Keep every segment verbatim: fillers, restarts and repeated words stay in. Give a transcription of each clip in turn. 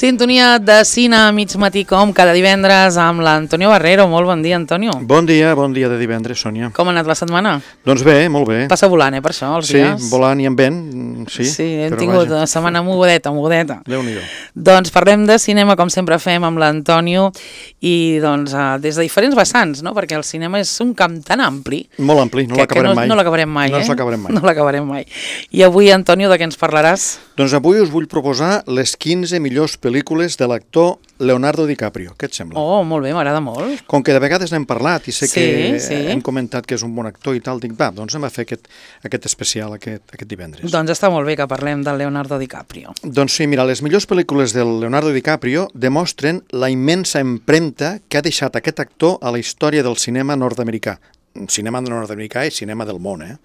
Sintonia de cine a mig matí com cada divendres amb l'Antonio Barrero. Molt bon dia, Antonio. Bon dia, bon dia de divendres, Sònia. Com ha anat la setmana? Doncs bé, molt bé. Passa volant, eh, per això, els sí, dies. Sí, volant i amb vent, sí. Sí, hem tingut vaja. una setmana mogudeta, mogudeta. Déu-n'hi-do. Doncs parlem de cinema, com sempre fem amb l'Antonio, i doncs uh, des de diferents vessants, no? Perquè el cinema és un camp tan ampli. Molt ampli, no l'acabarem no, mai. No l'acabarem mai, no eh? No l'acabarem mai. No l'acabarem mai. I avui, Antonio, de què ens parlaràs? Doncs avui us vull proposar les quinze millors pel·lícules de l'actor Leonardo DiCaprio. Què et sembla? Oh, molt bé, m'agrada molt. Com que de vegades n'hem parlat i sé Sí, que sí. hem comentat que és un bon actor i tal, dic, va, doncs anem a fer aquest, aquest especial aquest, aquest divendres. Doncs està molt bé que parlem del Leonardo DiCaprio. Doncs sí, mira, les millors pel·lícules del Leonardo DiCaprio demostren la immensa empremta que ha deixat aquest actor a la història del cinema nord-americà. Cinema nord-americà i cinema del món, eh?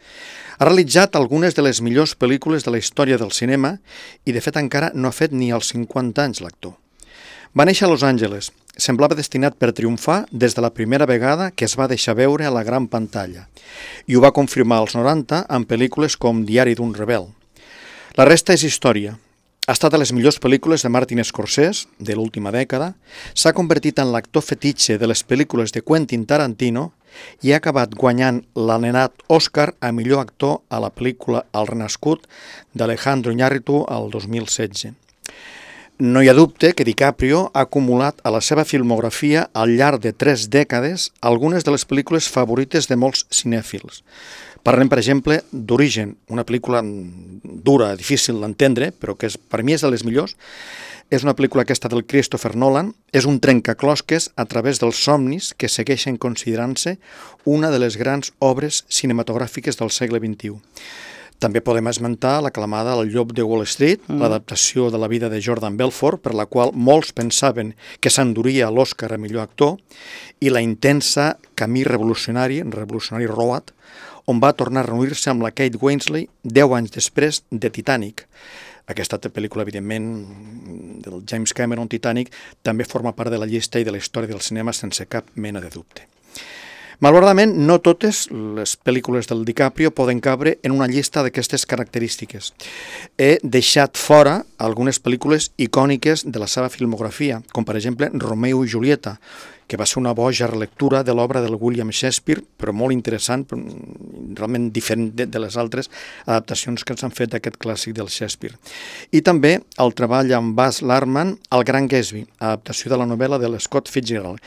Ha realitzat algunes de les millors pel·lícules de la història del cinema i, de fet, encara no ha fet ni els cinquanta anys l'actor. Va néixer a Los Angeles. Semblava destinat per triomfar des de la primera vegada que es va deixar veure a la gran pantalla. I ho va confirmar als noranta amb pel·lícules com Diari d'un rebel. La resta és història. Ha estat a les millors pel·lícules de Martin Scorsese, de l'última dècada, s'ha convertit en l'actor fetitxe de les pel·lícules de Quentin Tarantino i ha acabat guanyant l'anomenat Oscar a millor actor a la pel·lícula El Renascut d'Alejandro Iñárritu al dos mil setze. No hi ha dubte que DiCaprio ha acumulat a la seva filmografia al llarg de tres dècades algunes de les pel·lícules favorites de molts cinèfils. Parlem, per exemple, d'Origen, una pel·lícula dura, difícil d'entendre, però que és, per mi és de les millors. És una pel·lícula aquesta del Christopher Nolan, és un trencaclosques a través dels somnis que segueixen considerant-se una de les grans obres cinematogràfiques del segle vint-i-u. També podem esmentar l'aclamada El llop de Wall Street, mm. l'adaptació de la vida de Jordan Belfort, per la qual molts pensaven que s'enduria l'Oscar a millor actor, i la intensa Camí revolucionari, revolucionari Road, on va tornar a reunir-se amb la Kate Winslet deu anys després de Titanic. Aquesta pel·lícula, evidentment, del James Cameron, Titanic, també forma part de la llista i de la història del cinema sense cap mena de dubte. Malauradament, no totes les pel·lícules del DiCaprio poden cabre en una llista d'aquestes característiques. He deixat fora algunes pel·lícules icòniques de la seva filmografia, com per exemple Romeo i Julieta, que va ser una boja relectura de l'obra del William Shakespeare, però molt interessant, realment diferent de, de les altres adaptacions que s'han fet d'aquest clàssic del Shakespeare. I també el treball amb Baz Luhrmann, El Gran Gatsby, adaptació de la novel·la de l'Scott Fitzgerald.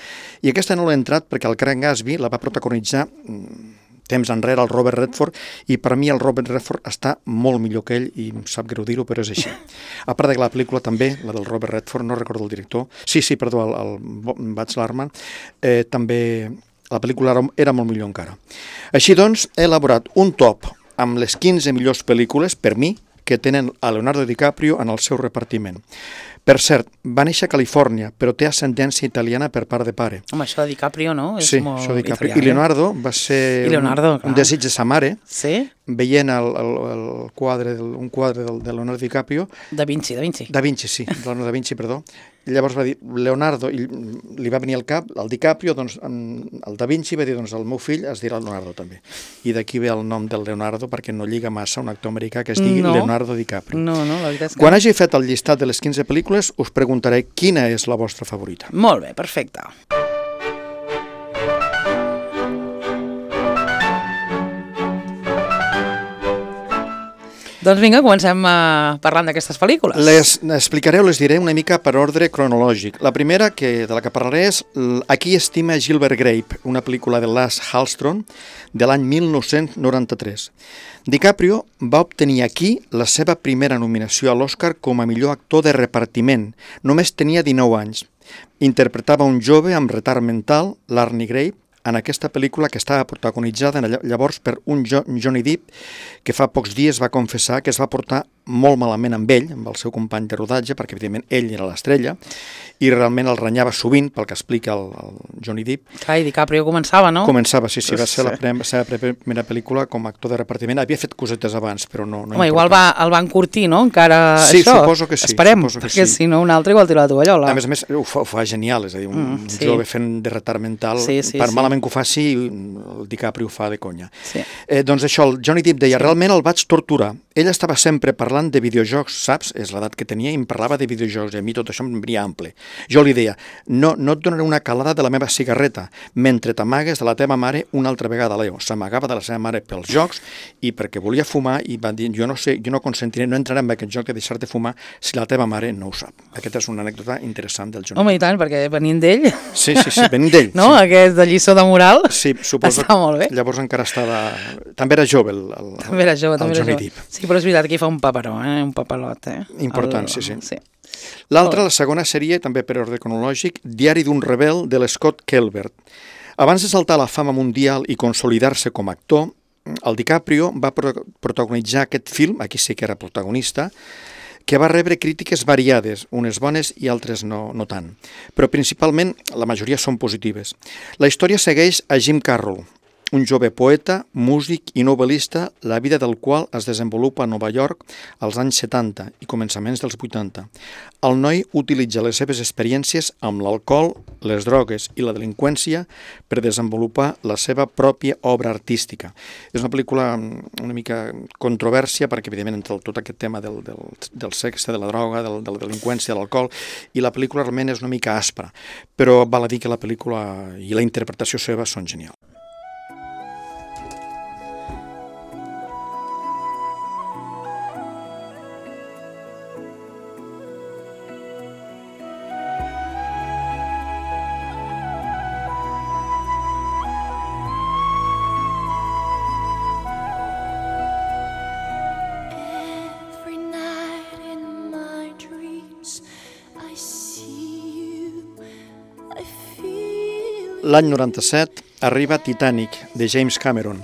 I aquesta no l'he entrat perquè El Gran Gatsby la va protagonitzar temps enrere el Robert Redford, i per mi el Robert Redford està molt millor que ell, i em sap greu dir-ho, però és així. A part de la pel·lícula també, la del Robert Redford, no recordo el director, sí, sí, perdó, el, el Baz Luhrmann, eh, també la pel·lícula era, era molt millor encara. Així doncs, he elaborat un top amb les quinze millors pel·lícules, per mi, que tenen a Leonardo DiCaprio en el seu repartiment. Per cert, va néixer a Califòrnia, però té ascendència italiana per part de pare. Home, això de DiCaprio, no? És sí, molt això de DiCaprio. italià, I Leonardo va ser Leonardo, un, un desig de sa mare, sí? veient el, el, el quadre, del, un quadre del, de Leonardo DiCaprio. Da Vinci, Da Vinci. Da Vinci, sí, Leonardo da Vinci, perdó. I llavors va dir, Leonardo, i li va venir al cap, el DiCaprio, doncs el Da Vinci va dir, doncs el meu fill es dirà Leonardo també. I d'aquí ve el nom del Leonardo, perquè no lliga massa un actor americà que es digui no. Leonardo DiCaprio. No, no, la veritat és que... Quan hagi fet el llistat de les quinze pel·lícules, us preguntaré quina és la vostra favorita. Molt bé, perfecte. Doncs vinga, comencem uh, parlant d'aquestes pel·lícules. Les explicaré o les diré una mica per ordre cronològic. La primera que, de la que parlaré és Aquí estima Gilbert Grape, una pel·lícula de Lasse Hallström de l'any mil nou-cents noranta-tres. DiCaprio va obtenir aquí la seva primera nominació a l'Oscar com a millor actor de repartiment. Només tenia dinou anys. Interpretava un jove amb retard mental, l'Arnie Grape, en aquesta pel·lícula que estava protagonitzada llavors per un Johnny Depp que fa pocs dies va confessar que es va portar molt malament amb ell, amb el seu company de rodatge, perquè evidentment ell era l'estrella, i realment el renyava sovint, pel que explica el, el Johnny Depp. Clar, i DiCaprio començava, no? Començava, sí, sí, va ser la prem, seva primera pel·lícula com a actor de repartiment. Havia fet cosetes abans, però no... no Home, igual va, el van curtir, no? Encara sí, això. Suposo que sí. Esperem, suposo que perquè sí. si no un altre igual tira la tovallola. A més a més, ho fa, ho fa genial, és a dir, un mm, sí. jove fent de retard mental, sí, sí, per sí. malament que ho faci, el DiCaprio ho fa de conya. Sí. Eh, doncs això, el Johnny Depp deia, realment el vaig torturar. Ell estava sempre parlant parlant de videojocs, saps? És l'edat que tenia i em parlava de videojocs i a mi tot això em venia ample. Jo li deia, no, no et donaré una calada de la meva cigarreta mentre t'amagues de la teva mare una altra vegada, Leo. S'amagava de la seva mare pels jocs i perquè volia fumar i va dir, jo no sé, jo no consentiré, no entraré en aquest joc de deixar-te fumar si la teva mare no ho sap. Aquesta és una anècdota interessant del Johnny. Home, i tant, perquè venint d'ell... Sí, sí, sí, venint d'ell. No? Sí. Aquest de lliçó de moral sí, suposo està molt bé. Llavors encara estava... També era jove el, el, també era jove, també el era Johnny jove. Depp. Sí, però és veritat que hi fa un paperó, eh? Un papelot, eh? Important, el... sí, sí. sí. L'altra, la segona seria, també per ordre cronològic, Diari d'un rebel de l'Scott Kelbert. Abans de saltar a la fama mundial i consolidar-se com a actor, el DiCaprio va pro- protagonitzar aquest film, aquí sí que era protagonista, que va rebre crítiques variades, unes bones i altres no, no tant. Però principalment la majoria són positives. La història segueix a Jim Carroll, un jove poeta, músic i novel·lista, la vida del qual es desenvolupa a Nova York als anys setanta i començaments dels vuitanta. El noi utilitza les seves experiències amb l'alcohol, les drogues i la delinqüència per desenvolupar la seva pròpia obra artística. És una pel·lícula una mica controvèrsia perquè, evidentment, entre tot aquest tema del, del, del sexe, de la droga, del, de la delinqüència, de l'alcohol, i la pel·lícula realment és una mica aspra, però val a dir que la pel·lícula i la interpretació seva són genials. L'any noranta-set arriba Titanic, de James Cameron.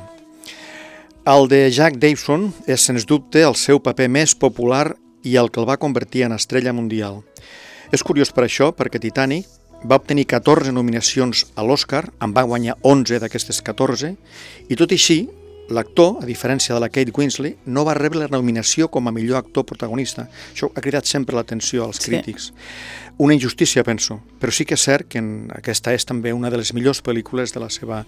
El de Jack Davison és, sens dubte, el seu paper més popular i el que el va convertir en estrella mundial. És curiós per això, perquè Titanic va obtenir catorze nominacions a l'Oscar, en va guanyar onze d'aquestes catorze, i tot i així, l'actor, a diferència de la Kate Winslet, no va rebre la nominació com a millor actor protagonista. Això ha cridat sempre l'atenció als crítics. Sí. Una injustícia, penso, però sí que és cert que aquesta és també una de les millors pel·lícules de la seva,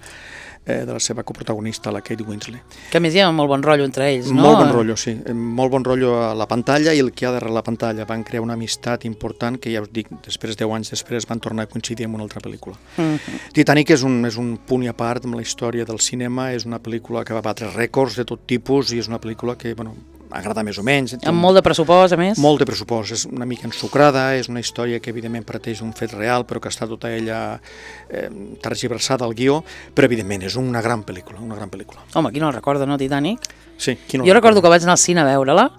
eh, de la seva coprotagonista, la Kate Winslet. Que a més hi ha molt bon rotllo entre ells, no? Molt bon rotllo, sí. Molt bon rotllo a la pantalla i el que hi ha darrere la pantalla. Van crear una amistat important que, ja us dic, després, deu anys després, van tornar a coincidir en una altra pel·lícula. Mm-hmm. Titanic és un, és un punt i a part amb la història del cinema, és una pel·lícula que va batre rècords de tot tipus i és una pel·lícula que, bueno, agrada més o menys. Amb molt de pressupost, a més? Molt de pressupost, és una mica ensucrada, és una història que evidentment parteix d'un fet real, però que està tota ella eh, tergiversada al guió, però evidentment és una gran pel·lícula, una gran pel·lícula. Home, qui no el recorda, no, Titanic? Sí, qui no jo recordo que vaig anar al cine a veure-la,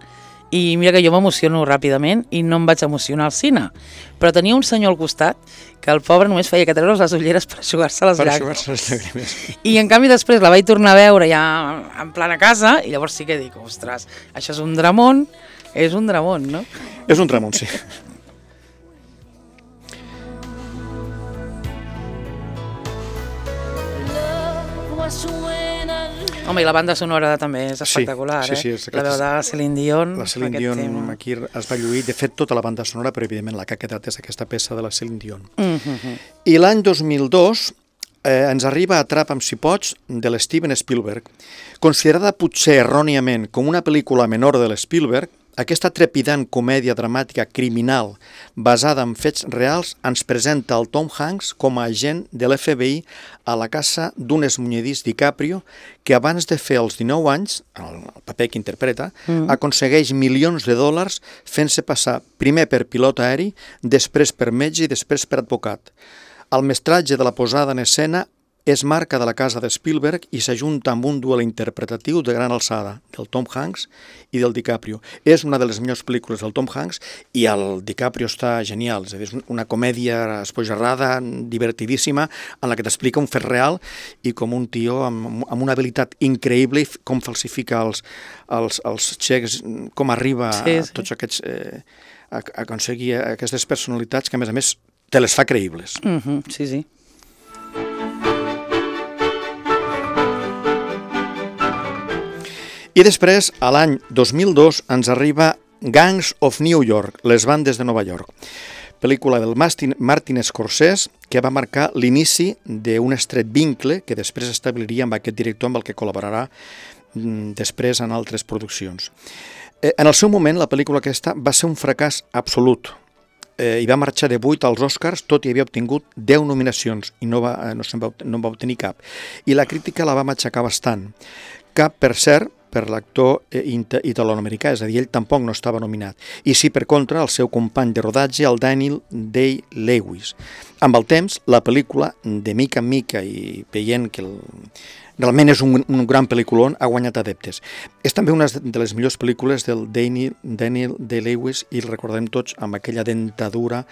i mira que jo m'emociono ràpidament i no em vaig emocionar al cine, però tenia un senyor al costat que el pobre només feia que treure's les ulleres per eixugar-se les per llàgrimes. eixugar-se les llàgrimes. I en canvi després la vaig tornar a veure ja en plan a casa i llavors sí que dic, ostres, això és un dramón, és un dramón, no? És un dramón, sí. Home, i la banda sonora també és espectacular, sí, sí, eh? sí, la veu de Celine Dion. La Celine Dion tema. Aquí es va lluir, de fet tota la banda sonora, però evidentment la que ha quedat és aquesta peça de la Celine Dion. Mm-hmm. I l'any dos mil dos eh, ens arriba Atrapa'm si pots, de l'Steven Spielberg. Considerada potser erròniament com una pel·lícula menor de l'Spielberg, aquesta trepidant comèdia dramàtica criminal basada en fets reals ens presenta el Tom Hanks com a agent de l'F B I a la casa d'un esmunyedís DiCaprio que abans de fer els dinou anys, el paper que interpreta, mm. aconsegueix milions de dòlars fent-se passar primer per pilot aeri, després per metge i després per advocat. El mestratge de la posada en escena és marca de la casa de Spielberg i s'ajunta amb un duel interpretatiu de gran alçada, del Tom Hanks i del DiCaprio. És una de les millors pel·lícules del Tom Hanks i el DiCaprio està genial, és a dir, és una comèdia esbojarrada, divertidíssima, en la que t'explica un fet real i com un tio amb, amb una habilitat increïble, com falsifica els, els, els xecs, com arriba sí, sí. a tots aquests... Eh, a, a aconseguir aquestes personalitats que, a més a més, te les fa creïbles. Mm-hmm, sí, sí. I després, a l'any dos mil dos, ens arriba Gangs of New York, les bandes de Nova York, pel·lícula del Martin, Martin Scorsese, que va marcar l'inici d'un estret vincle que després establiria amb aquest director amb el que col·laborarà després en altres produccions. Eh, en el seu moment, la pel·lícula aquesta va ser un fracàs absolut. Eh, I va marxar de vuit als Oscars, tot i havia obtingut deu nominacions i no va, eh, no, se'n va, no en va obtenir cap. I la crítica la va matxacar bastant. Cap, per cert, per l'actor eh, italo-americà, és a dir, ell tampoc no estava nominat. I sí, per contra, el seu company de rodatge, el Daniel Day-Lewis. Amb el temps, la pel·lícula, de mica en mica i veient que el, realment és un, un gran pel·lículon, ha guanyat adeptes. És també una de les millors pel·lícules del Daniel, Daniel Day-Lewis i el recordem tots amb aquella dentadura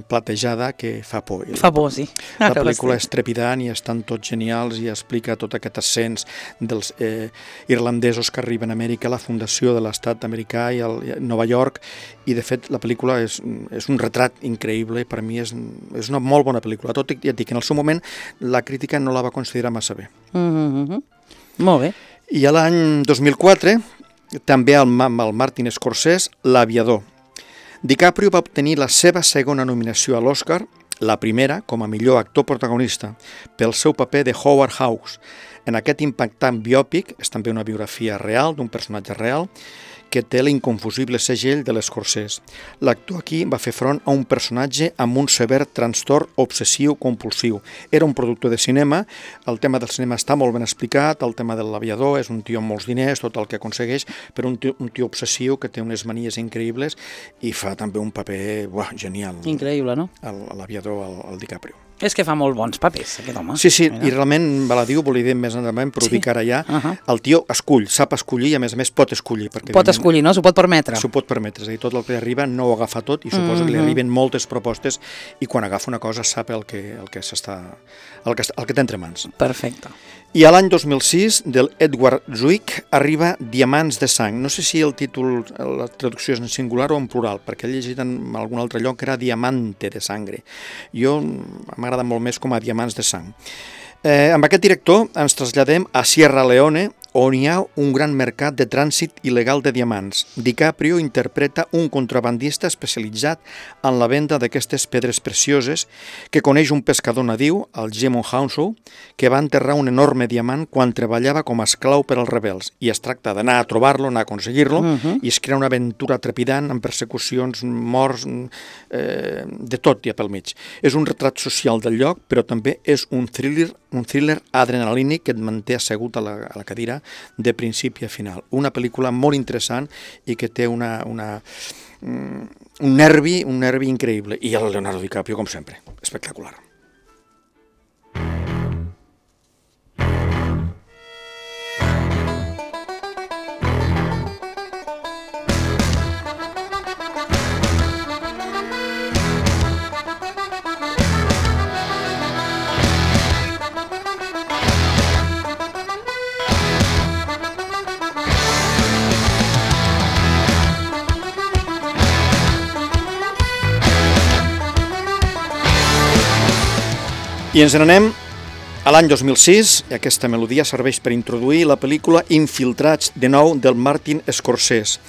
platejada que fa por. Fa por, sí. La pel·lícula és trepidant i estan tots genials i explica tot aquest ascens dels eh, irlandesos que arriben a Amèrica, la fundació de l'estat americà i el, i Nova York, i de fet la pel·lícula és, és un retrat increïble, per mi és, és una molt bona pel·lícula, tot i ja et dic, en el seu moment la crítica no la va considerar massa bé. Mm-hmm. Molt bé. I a l'any dos mil quatre, també amb el Martin Scorsese, L'Aviador. DiCaprio va obtenir la seva segona nominació a l'Oscar, la primera com a millor actor protagonista, pel seu paper de Howard Hawks. En aquest impactant biòpic, és també una biografia real d'un personatge real, que té l'inconfusible segell de l'Scorsese. L'actor aquí va fer front a un personatge amb un sever trastorn obsessiu-compulsiu. Era un productor de cinema, el tema del cinema està molt ben explicat, el tema de l'aviador, és un tio amb molts diners, tot el que aconsegueix, però un tio, un tio obsessiu que té unes manies increïbles i fa també un paper buah, genial. Increïble, no? L'aviador, el, el DiCaprio. És que fa molt bons papers, aquest home. Sí, sí, mira. I realment, me la diu, volia dir més endavant, però ho sí. dic ara ja, uh -huh. el tio escull, sap escollir i a més a més pot escollir. Perquè pot escollir, no? S'ho pot permetre. S'ho pot permetre, és a dir, tot el que li arriba no ho agafa tot i suposo mm -hmm. que li arriben moltes propostes i quan agafa una cosa sap el que, el que s'està, el que, el que té entre mans. Perfecte. I a l'any dos mil sis, del Edward Zwick, arriba Diamants de sang. No sé si el títol, la traducció és en singular o en plural, perquè he llegit en algun altre lloc que era Diamante de sangre. Jo m'agrada molt més com a Diamants de sang. Eh, amb aquest director ens traslladem a Sierra Leone, on hi ha un gran mercat de trànsit il·legal de diamants. DiCaprio interpreta un contrabandista especialitzat en la venda d'aquestes pedres precioses que coneix un pescador nadiu, el Jemon Hounsou, que va enterrar un enorme diamant quan treballava com a esclau per als rebels. I es tracta d'anar a trobar-lo, anar a aconseguir-lo, uh-huh. i es crea una aventura trepidant amb persecucions, morts, eh, de tot hi ha pel mig. És un retrat social del lloc, però també és un thriller, un thriller adrenalínic que et manté assegut a la, a la cadira de principi a final. Una pel·lícula molt interessant i que té una, una, un nervi, un nervi increïble. I el Leonardo DiCaprio, com sempre, espectacular. I ens n'anem a l'any dos mil sis, i aquesta melodia serveix per introduir la pel·lícula Infiltrats, de nou, del Martin Scorsese.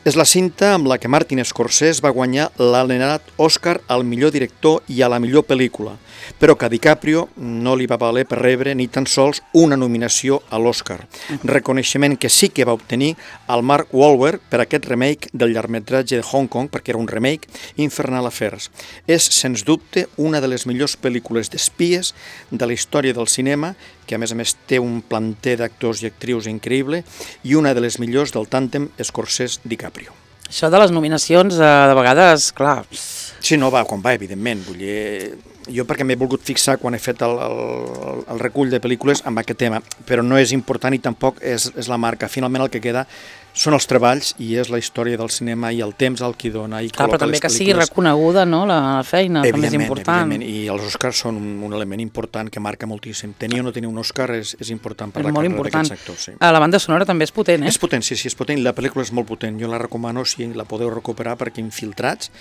És la cinta amb la que Martin Scorsese va guanyar l'anomenat Oscar al millor director i a la millor pel·lícula, però que a DiCaprio no li va valer per rebre ni tan sols una nominació a l'Oscar. Reconeixement que sí que va obtenir el Mark Wahlberg per aquest remake del llargmetratge de Hong Kong, perquè era un remake, Infernal Affairs. És, sens dubte, una de les millors pel·lícules d'espies de la història del cinema, que a més a més té un planter d'actors i actrius increïble, i una de les millors del tàndem Scorsese-DiCaprio. Això de les nominacions, eh, de vegades, clar... Sí, no, va, quan va, evidentment. Vull dir, jo perquè m'he volgut fixar quan he fet el, el, el recull de pel·lícules amb aquest tema, però no és important i tampoc és, és la marca. Finalment el que queda són els treballs i és la història del cinema i el temps al que dona i clar, col·loca les pel·lícules. però també que sigui reconeguda, no?, la feina, també és important. Evidentment, i els Oscars són un, un element important que marca moltíssim. Tenir o no tenir un Òscar és, és important per és la carrera d'aquests actors. Sí. La banda sonora també és potent, eh? És potent, sí, sí, és potent. La pel·lícula és molt potent. Jo la recomano si la podeu recuperar perquè Infiltrats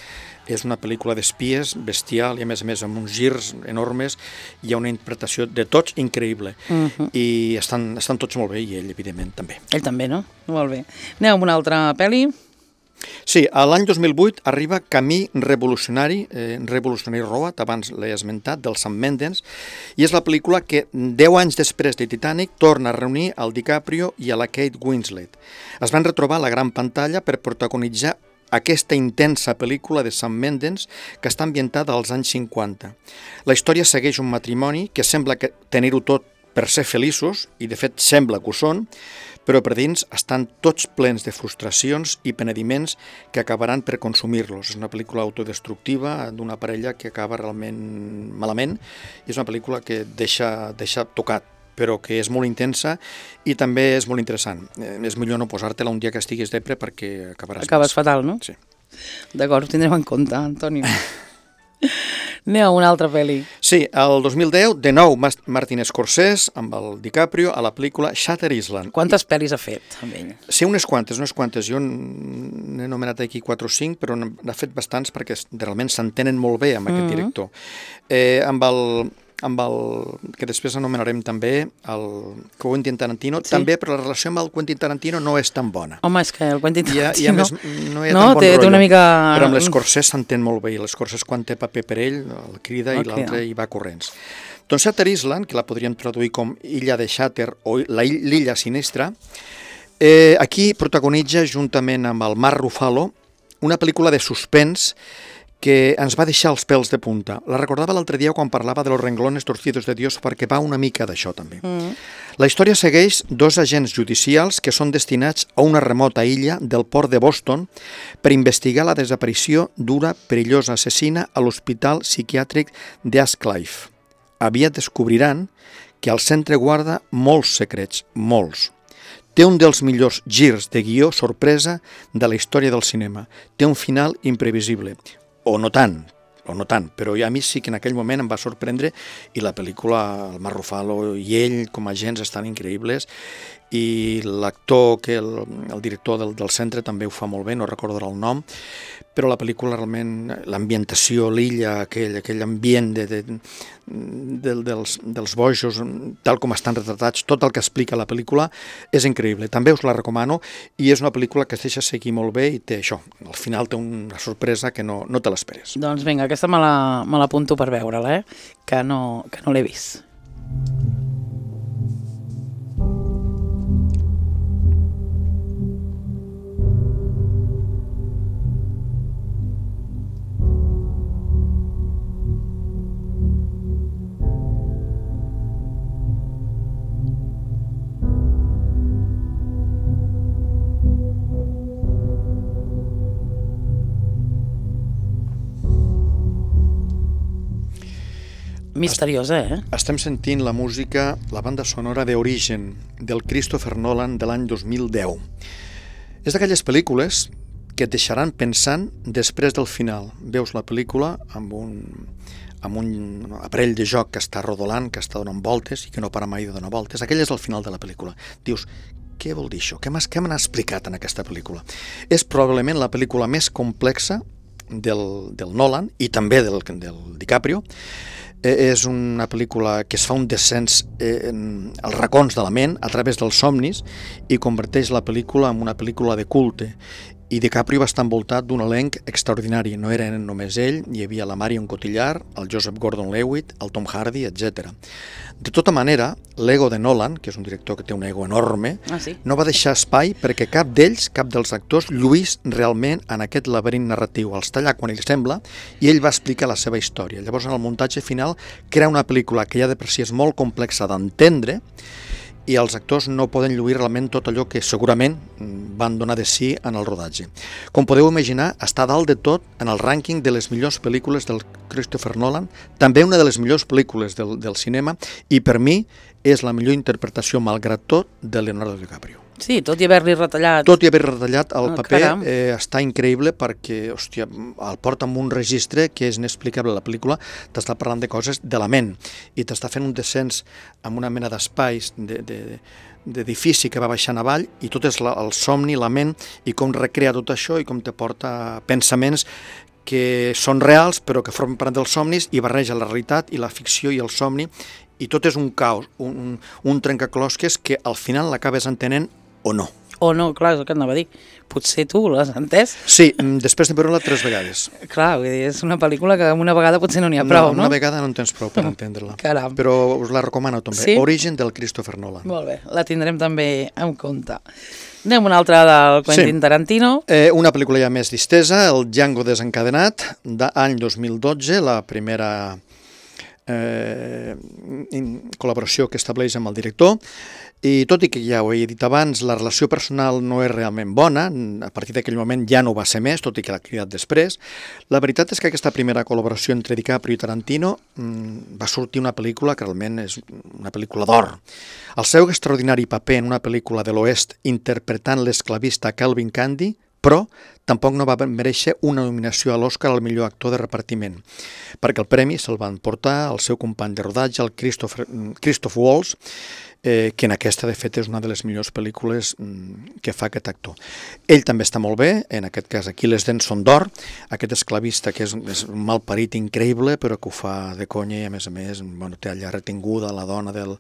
és una pel·lícula d'espies bestial i a més a més amb uns girs enormes, hi ha una interpretació de tots increïble uh-huh. i estan, estan tots molt bé i ell evidentment també. Ell també, no? Molt bé. Anem amb una altra pel·li. Sí, a l'any dos mil vuit arriba Camí Revolucionari, eh, Revolutionary Road, abans l'he esmentat, del Sam Mendes, i és la pel·lícula que, deu anys després de Titanic, torna a reunir el DiCaprio i a la Kate Winslet. Es van retrobar a la gran pantalla per protagonitzar aquesta intensa pel·lícula de Sam Mendes que està ambientada als anys cinquanta. La història segueix un matrimoni que sembla que tenir-ho tot per ser feliços, i de fet sembla que ho són, però per dins estan tots plens de frustracions i penediments que acabaran per consumir-los. És una pel·lícula autodestructiva d'una parella que acaba realment malament, i és una pel·lícula que deixa, deixa tocat, però que és molt intensa i també és molt interessant. Eh, és millor no posar-te-la un dia que estiguis depre perquè acabaràs... Acabes més. fatal, no? Sí. D'acord, ho tindrem en compte, Antonio. Anem a una altra pel·li. Sí, el dos mil deu, de nou, Martin Scorsese, amb el DiCaprio, a la pel·lícula Shutter Island. Quantes pel·lis ha fet amb ell? Sí, unes quantes, unes quantes. Jo n'he anomenat aquí quatre o cinc, però n'ha fet bastants perquè realment s'entenen molt bé amb aquest director. Eh, amb el... amb el que després anomenarem també el Quentin Tarantino, sí. També, però la relació amb el Quentin Tarantino no és tan bona. Home, és que el Quentin Tarantino... I a, i a més, no hi ha no, tan bon té, rotllo. Té una mica... Però amb l'Scorsese s'entén molt bé, i l'Scorsese quan té paper per ell, el crida i l'altre hi va corrents. Doncs Shutter Island, que la podríem traduir com Illa de Shutter o l'Illa Sinistra, eh, aquí protagonitza juntament amb el Mark Ruffalo una pel·lícula de suspens que ens va deixar els pèls de punta. La recordava l'altre dia quan parlava de Los renglones torcidos de Dios, perquè va una mica d'això també. Mm. La història segueix dos agents judicials que són destinats a una remota illa del port de Boston per investigar la desaparició d'una perillosa assassina a l'hospital psiquiàtric d'Ascliff. Aviat descobriran que el centre guarda molts secrets, molts. Té un dels millors girs de guió sorpresa de la història del cinema. Té un final imprevisible. O no tant, o no tant, però a mi sí que en aquell moment em va sorprendre, i la pel·lícula, el Mark Ruffalo i ell com a agents estan increïbles, i l'actor, que el, el director del, del centre també ho fa molt bé, no recordaré el nom, però la pel·lícula realment, l'ambientació, l'illa, aquell, aquell ambient de, de, de, dels, dels bojos, tal com estan retratats, tot el que explica la pel·lícula és increïble. També us la recomano, i és una pel·lícula que es deixa seguir molt bé i té això, al final té una sorpresa que no, no te l'esperes. Doncs vinga, aquesta me l'apunto per veure-la, eh? que no, que no l'he vist. Misteriosa, eh? Estem sentint la música, la banda sonora d'Origen, del Christopher Nolan de l'any dos mil deu. És d'aquelles pel·lícules que et deixaran pensant després del final. Veus la pel·lícula amb un, amb un aparell de joc que està rodolant, que està donant voltes i que no para mai de donar voltes. Aquell és el final de la pel·lícula. Dius, què vol dir això? Què m'han explicat en aquesta pel·lícula? És probablement la pel·lícula més complexa del, del Nolan i també del, del DiCaprio. És una pel·lícula que es fa un descens eh, als racons de la ment a través dels somnis i converteix la pel·lícula en una pel·lícula de culte. I DiCaprio va estar envoltat d'un elenc extraordinari. No era només ell, hi havia la Marion Cotillard, el Joseph Gordon-Levitt, el Tom Hardy, etcètera. De tota manera, l'ego de Nolan, que és un director que té un ego enorme, ah, sí? no va deixar espai perquè cap d'ells, cap dels actors, lluís realment en aquest laberint narratiu. Els talla quan ell sembla i ell va explicar la seva història. Llavors, en el muntatge final, crea una pel·lícula que ja de per si és molt complexa d'entendre, i els actors no poden lluir realment tot allò que segurament van donar de si en el rodatge. Com podeu imaginar, està dalt de tot en el rànquing de les millors pel·lícules del Christopher Nolan, també una de les millors pel·lícules del, del cinema, i per mi és la millor interpretació, malgrat tot, de Leonardo DiCaprio. Sí, tot i haver-li retallat... Tot i haver retallat el oh, paper, eh, està increïble perquè, hòstia, el porta amb un registre que és inexplicable. La pel·lícula t'està parlant de coses de la ment i t'està fent un descens amb una mena d'espais, de, de, d'edifici que va baixant avall, i tot és la, el somni, la ment, i com recrea tot això i com te porta pensaments que són reals però que formen part dels somnis i barreja la realitat i la ficció i el somni, i tot és un caos, un, un trencaclosques que al final l'acabes entenent o no. O no, clar, és el que anava a dir. Potser tu l'has entès? Sí, després de veure-la tres vegades. Clar, vull dir, és una pel·lícula que una vegada potser no n'hi ha prou, no? No, una vegada no en tens prou per entendre-la. Caram. Però us la recomano també. Sí? Origen del Christopher Nolan. Molt bé, la tindrem també en compte. Anem una altra del Quentin Sí. Tarantino. Eh, una pel·lícula ja més distesa, el Django desencadenat, d'any dos mil dotze, la primera eh, col·laboració que estableix amb el director, i tot i que ja ho he dit abans, la relació personal no és realment bona, a partir d'aquell moment ja no va ser més, tot i que l'ha cridat després. La veritat és que aquesta primera col·laboració entre DiCaprio i Tarantino mmm, va sortir una pel·lícula que realment és una pel·lícula d'or. El seu extraordinari paper en una pel·lícula de l'Oest interpretant l'esclavista Calvin Candy, però tampoc no va mereixer una nominació a l'Oscar al millor actor de repartiment, perquè el premi se'l van portar al seu company de rodatge, el Christopher, Christoph Waltz, eh, que en aquesta, de fet, és una de les millors pel·lícules mm, que fa aquest actor. Ell també està molt bé, en aquest cas aquí les dents són d'or, aquest esclavista que és, és un malparit increïble, però que ho fa de conya i, a més a més, bueno, té allà retinguda la dona del,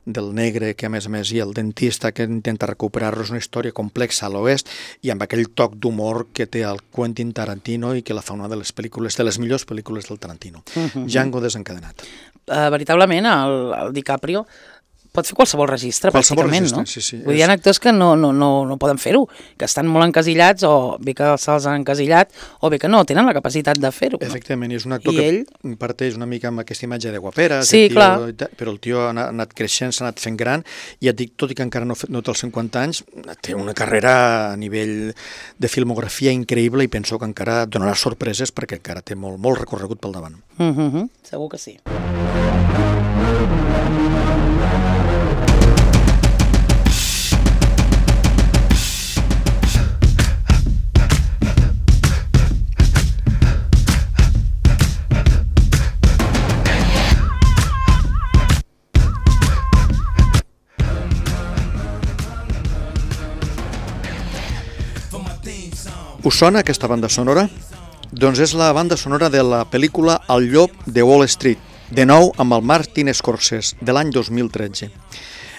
del negre, que a més a més, i el dentista que intenta recuperar-lo. És una història complexa a l'oest i amb aquell toc d'humor que té el Quentin Tarantino i que la fa una de les pel·lícules, de les millors pel·lícules del Tarantino. Uh-huh. Django desencadenat. Uh, veritablement, el, el DiCaprio pot fer qualsevol registre, qualsevol pràcticament, registre, no? sí, sí. Vull dir, hi ha actors que no, no, no, no poden fer-ho, que estan molt encasillats, o bé que se'ls han encasillat, o bé que no, tenen la capacitat de fer-ho. No? Efectivament, és un actor I que ell... parteix una mica amb aquesta imatge de guapera, Sí, tio, clar. però el tio ha anat creixent, s'ha anat fent gran, i et dic, tot i que encara no, no té els cinquanta anys, té una carrera a nivell de filmografia increïble i penso que encara donarà sorpreses perquè encara té molt, molt recorregut pel davant. Uh -huh, segur que sí. Us sona aquesta banda sonora? Doncs és la banda sonora de la pel·lícula El llop de Wall Street, de nou amb el Martin Scorsese, de l'any dos mil tretze.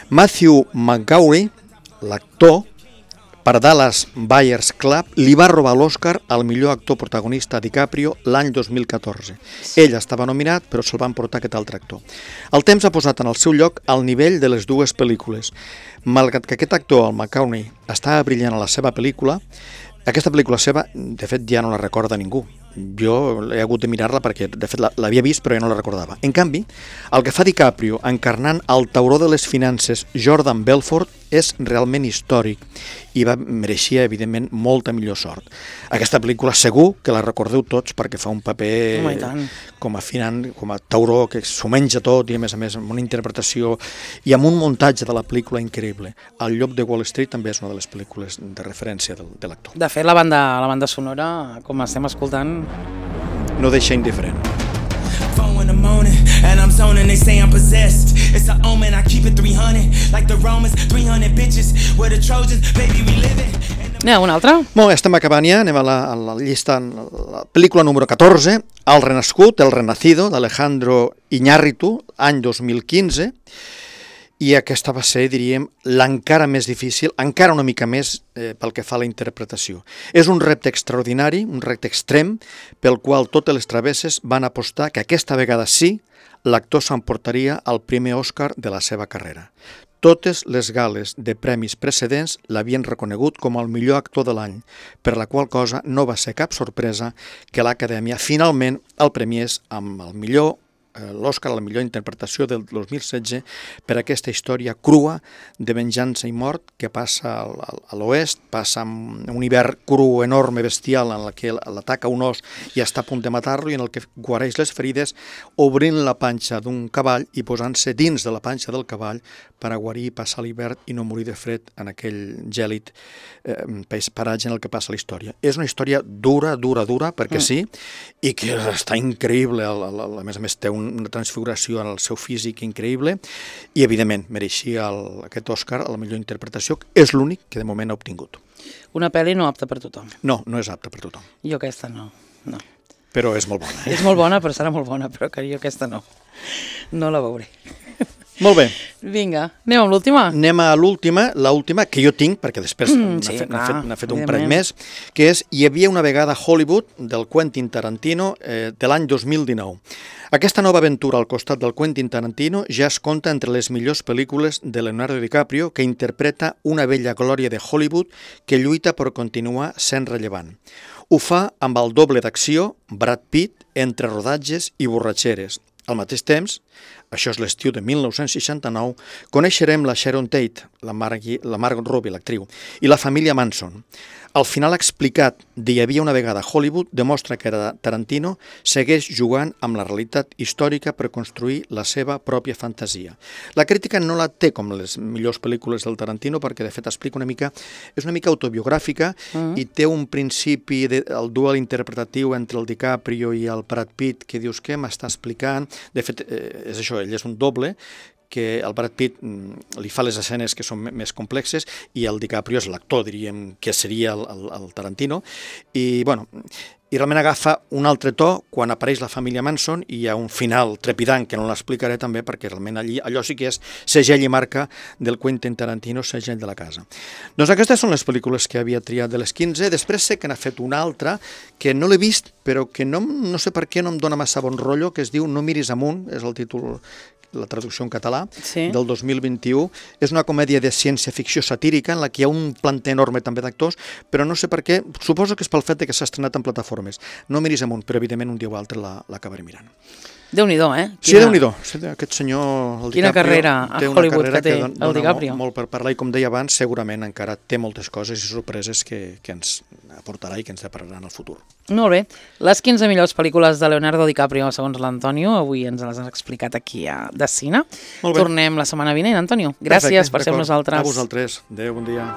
Matthew McConaughey, l'actor, per Dallas Buyers Club, li va robar l'Oscar al millor actor protagonista a DiCaprio l'any dos mil catorze. Ell estava nominat, però se'l van portar aquest altre actor. El temps ha posat en el seu lloc al nivell de les dues pel·lícules. Malgrat que aquest actor, el McConaughey, estava brillant a la seva pel·lícula, aquesta pel·lícula seva, de fet, ja no la recorda ningú. Jo he hagut de mirar-la perquè, de fet, l'havia vist però ja no la recordava. En canvi, el que fa DiCaprio encarnant el tauró de les finances Jordan Belfort és realment històric i va mereixia, evidentment, molta millor sort. Aquesta pel·lícula segur que la recordeu tots perquè fa un paper Home, com a finant, com a tauró que s'ho menja tot i, a més a més, amb una interpretació i amb un muntatge de la pel·lícula increïble. El llop de Wall Street també és una de les pel·lícules de referència de, de l'actor. De fet, la banda, la banda sonora, com estem escoltant... No deixa indiferent. In the morning, and I'm zoning, they say I'm possessed. It's an omen, I keep it three hundred, like the Romans, three hundred bitches, we're the Trojans, baby, we live it. N'hi ha una altra? Molt bé, estem acabant ja, anem a la, a la llista, la pel·lícula número catorze, El renascut, El renacido, d'Alejandro Iñárritu, any dos mil quinze, i aquesta va ser, diríem, l'encara més difícil, encara una mica més eh, pel que fa a la interpretació. És un repte extraordinari, un repte extrem, pel qual totes les travesses van apostar que aquesta vegada sí, l'actor s'emportaria el primer Òscar de la seva carrera. Totes les gales de premis precedents l'havien reconegut com el millor actor de l'any, per la qual cosa no va ser cap sorpresa que l'Acadèmia finalment el premiés amb el millor l'Òscar a la millor interpretació del dos mil setze per aquesta història crua de venjança i mort que passa a l'oest, passa amb un hivern cru, enorme, bestial, en el que l'ataca un os i està a punt de matar-lo i en el que guareix les ferides obrint la panxa d'un cavall i posant-se dins de la panxa del cavall per a guarir i passar l'hivern i no morir de fred en aquell gèlid eh, paratge en el que passa la història. És una història dura, dura, dura, perquè mm. sí, i que està increïble, a, a, a més a més té un una transfiguració en el seu físic increïble i, evidentment, mereixia el, aquest Òscar a la millor interpretació, és l'únic que de moment ha obtingut. Una pel·li no apta per tothom. No, no és apta per tothom. Jo aquesta no, no. Però és molt bona. Eh? És molt bona, però serà molt bona, però que jo aquesta no. No la veuré. Molt bé. Vinga, anem amb l'última? Anem a l'última, l'última que jo tinc, perquè després Mm, n'ha sí, fet, n'ha clar, fet, n'ha fet un evidentment. parell més, que és Hi havia una vegada a Hollywood, del Quentin Tarantino, eh, de l'any dos mil dinou. Aquesta nova aventura al costat del Quentin Tarantino ja es compta entre les millors pel·lícules de Leonardo DiCaprio, que interpreta una vella glòria de Hollywood que lluita per continuar sent rellevant. Ho fa amb el doble d'acció, Brad Pitt, entre rodatges i borratxeres. Al mateix temps, això és l'estiu de mil nou-cents seixanta-nou, coneixerem la Sharon Tate, la, Margui, la Margot Robbie, l'actriu, i la família Manson. El final explicat de Hi havia una vegada a Hollywood demostra que Tarantino segueix jugant amb la realitat històrica per construir la seva pròpia fantasia. La crítica no la té com les millors pel·lícules del Tarantino perquè de fet explica una mica, és una mica autobiogràfica mm. i té un principi, de, el duel interpretatiu entre el DiCaprio i el Brad Pitt que dius què m'està explicant. De fet, eh, és això, ell és un doble, que el Brad Pitt li fa les escenes que són més complexes i el DiCaprio és l'actor, diríem, que seria el, el, el Tarantino. I, bueno, i realment agafa un altre to quan apareix la família Manson i hi ha un final trepidant, que no l'explicaré també, perquè realment allí, allò sí que és segell i marca del Quentin Tarantino, segell de la casa. Doncs aquestes són les pel·lícules que havia triat de les quinze. Després sé que n'ha fet una altra que no l'he vist, però que no, no sé per què no em dóna massa bon rotllo, que es diu No miris amunt, és el títol, la traducció en català, sí. del dos mil vint-i-u. És una comèdia de ciència-ficció satírica en la que hi ha un planter enorme també d'actors, però no sé per què, suposo que és pel fet que s'ha estrenat en plataformes. No miris amunt, però evidentment un dia o altre l'acabaré mirant. Déu-n'hi-do, eh? Quina... Sí, Déu-n'hi-do. Aquest senyor, el Quina DiCaprio, carrera a té Hollywood carrera que té, que don, el DiCaprio. Molt, molt per parlar, i com deia abans, segurament encara té moltes coses i sorpreses que, que ens aportarà i que ens depararan al futur. Molt bé. Les quinze millors pel·lícules de Leonardo DiCaprio, segons l'Antonio, avui ens les has explicat aquí a de Cine. Tornem la setmana vinent, Antonio. Gràcies Perfecte, per ser amb nosaltres. A vosaltres. Adéu, bon dia.